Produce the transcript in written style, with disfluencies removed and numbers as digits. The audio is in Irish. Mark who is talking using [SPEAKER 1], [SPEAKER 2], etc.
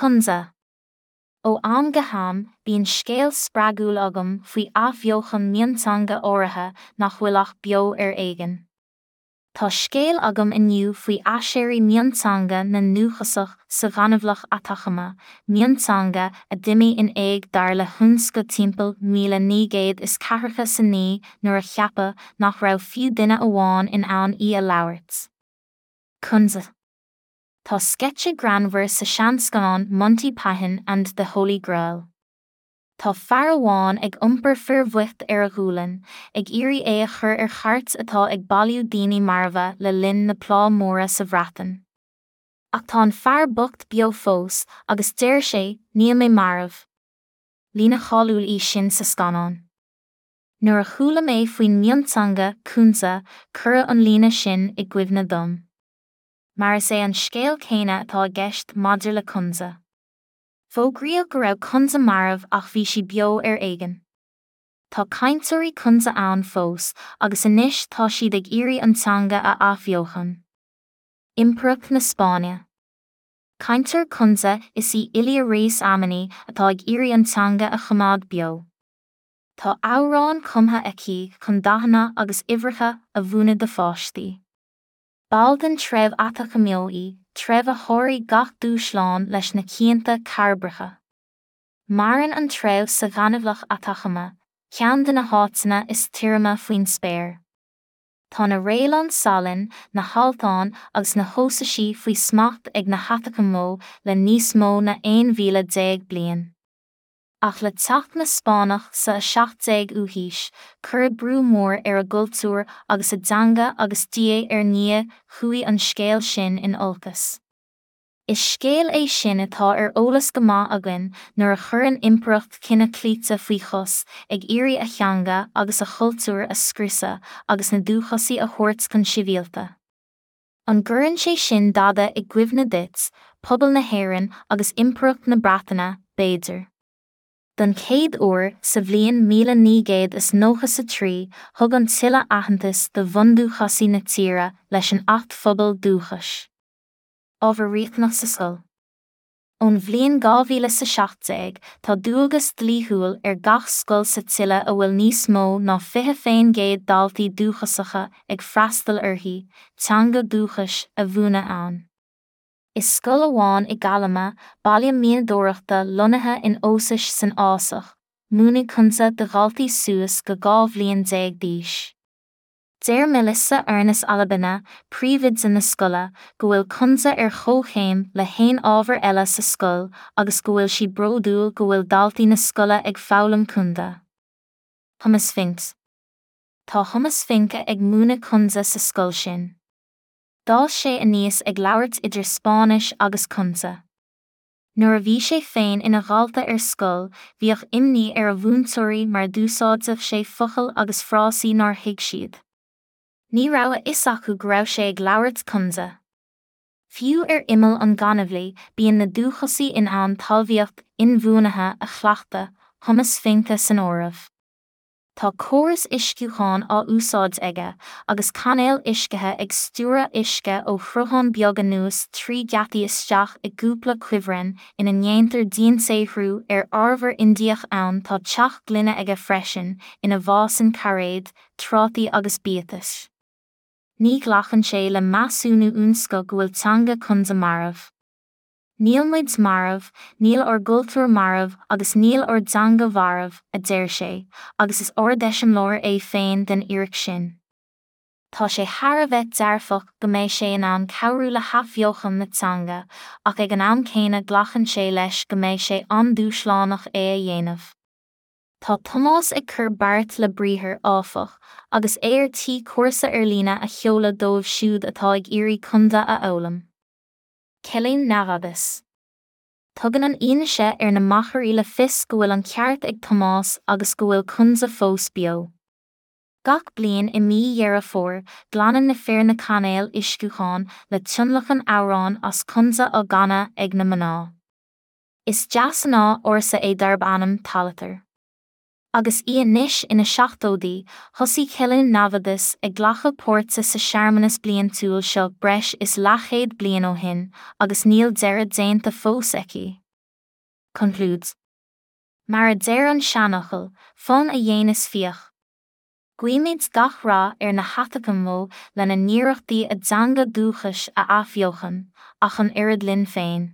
[SPEAKER 1] Kunza. Ó am go ham, bíonn scéal spreagúil agam faoi athbheochan mionteanga áirithe nach bhfuil ach beo ar éigean. Tá scéal agam inniu faoi aiséirí mionteanga na ndúchasach sa ghaineamhlach Atacama, mionteanga a d'imigh in éag dar le hUnesco timpeall 1949 nuair a ceapadh nach raibh fiú duine amháin in ann í a labhairt. Kunza. Tá sceitse greannmhar sa seanscannán Monty Python and the Holy Grail. Tá fear amháin ag iompar fir bhoicht ar a ghualainn, ag iarraidh é a chur ar chairt atá ag bailiú daoine marbha le linn na Plá Móire sa Bhreatain. Ach tá an fear bocht beo fós, agus deir sé, 'Níl mé marbh! Líne cháiliúil í sin sa scannán. Nuair a chuala mé faoin mionteanga, Kunza, cuireadh an líne sin i gcuimhne dom. Mar is é an scéal céanna atá i gceist maidir le Kunza. Fógraíodh go raibh Kunza marbh ach bhí sí beo ar éigean. Tá cainteoirí Kunza ann fós agus anois tá siad ag iarraidh an teanga a athbheochan. Impireacht na Spáinne. Cainteoir Kunza is í Ilia Reyes Amani atá ag iarraidh an teanga a choimeád beo. Tá amhráin cumtha aici chun dathanna agus uimhreacha a mhúineadh do pháistí. Ball den treibh Atacameño í, treibh a sháraigh gach dúshlán leis na cianta cairbreacha. Maireann an treibh sa ghaineamhlach Atacama, ceann de na háiteanna is tirime faoin spéir. Tá na réileáin salainn, na haltáin agus na hósaisí faoi smacht ag na hAtacameño le níos mó na 11,000 bliain. Ach le teacht na Spáinneach sa 17ú haois, cuireadh brú mór ar a gcultúr agus a dteanga agus diaidh ar ndiaidh chuaigh an scéal sin in olcas. Is scéal é sin atá ar eolas go maith againn nuair a chuireann impireacht cine cloíte faoi chos ag iarraidh a theanga agus a chultúr a scriosadh agus na dúchasaigh a thabhairt chun sibhialta. An gcuireann sé sin dada i gcuimhne duit, pobal na hÉireann agus Impireacht na Breataine, b'fhéidir? Don chéad uair, sa bhliain 1993, thug an tSile aitheantas do bhundúchasaigh na tíre leis an Acht Phobail Dúchais. Ábhar riachtanach sa scoil. Ón bhliain 2017, tá dualgas dlíthiúil ar gach scoil sa tSile a bhfuil níos mó ná 20% daltaí dúchasacha ag freastal uirthi, teanga dúchais a mhúineadh ann. I scoil amháin i gCalama, baile mianadóireachta lonnaithe in Ósais san fhásach, múineadh Kunza do dhaltaí suas go 12 bhliain d'aois. Deir Melissa Ernest Alabina, príomhoide na scoile, go bhfuil Kunza ar chomhchéim le haon ábhar eile sa scoil agus go bhfuil sí bródúil go bhfuil daltaí na scoile ag foghlaim Kunza. Thomas Finke. Tá Thomas Finke ag múineadh Kunza sa scoil sin. D'fhás sé aníos ag labhairt idir Spáinnis agus Kunza. Nuair a bhí sé féin ina dhalta ar scoil, bhíodh imní ar a mhúinteoirí mar d'úsáideadh sé focail agus frásaí nár thuig siad. Ní raibh a fhios acu go raibh sé ag labhairt Kunza. Fiú ar imeall an ghaineamhlaigh, bíonn na dúchasaigh in ann talmhaíocht inbhuanaithe a chleachtadh, Thomas Finke san áireamh. Tá córas uisciúcháin á úsáid aige, agus cainéil uiscithe ag stiúradh uisce ó shruthán beag anuas trí gheataí isteach i gcúpla cuibhreann ina ndéantar diansaothrú ar arbhar Indiach ann Tá teach gloine aige freisin ina bhfásann cairéid, trátaí agus biatais. Ní ghlacann sé le measúnú Unesco go bhfuil teanga Kunza marbh. Níl muid marbh, níl ár gcultúr marbh agus níl ár dteanga marbh, a deir sé, agus is ardeiseamláir é féin den fhíric sin. Tá sé thar a bheith dearfach go mbeidh sé in ann cabhrú le hathbheochan na teanga, ach ag an am céanna glacann sé leis go mbeidh sé an-dúshlánach é a dhéanamh. Tá Tomás ag cur beart le briathar, áfach, agus é ar tí cúrsa ar líne a sheoladh dóibh siúd atá ag iarraidh Kunza a fhoghlaim. Cillín Nevadas. Tugann an fhianaise ar na machairí le fios go bhfuil an ceart ag Tomás agus go bhfuil Kunza fós beo. Gach bliain i mí Dheireadh Fómhair, glanann na fir na cainéil uisciúcháin le tionlacan amhrán as Kunza á gcanadh ag na mná. Is deasghnáth ársa é darb ainm Talatar. Agus í anois ina seachtóidí, thosaigh Cillín Nevadas ag glacadh páirte sa searmanas bliantúil seo breis is leathchéad bliain ó shin agus níl deireadh déanta fós aici. Concludes. Mar a deir an seanfhocal, fonn a dhéanas fiach. Guímid gach rath ar na hAtacameacha lena n-iarrachtaí a dteanga dúchais a athbheochan, ach an oiread linn féin.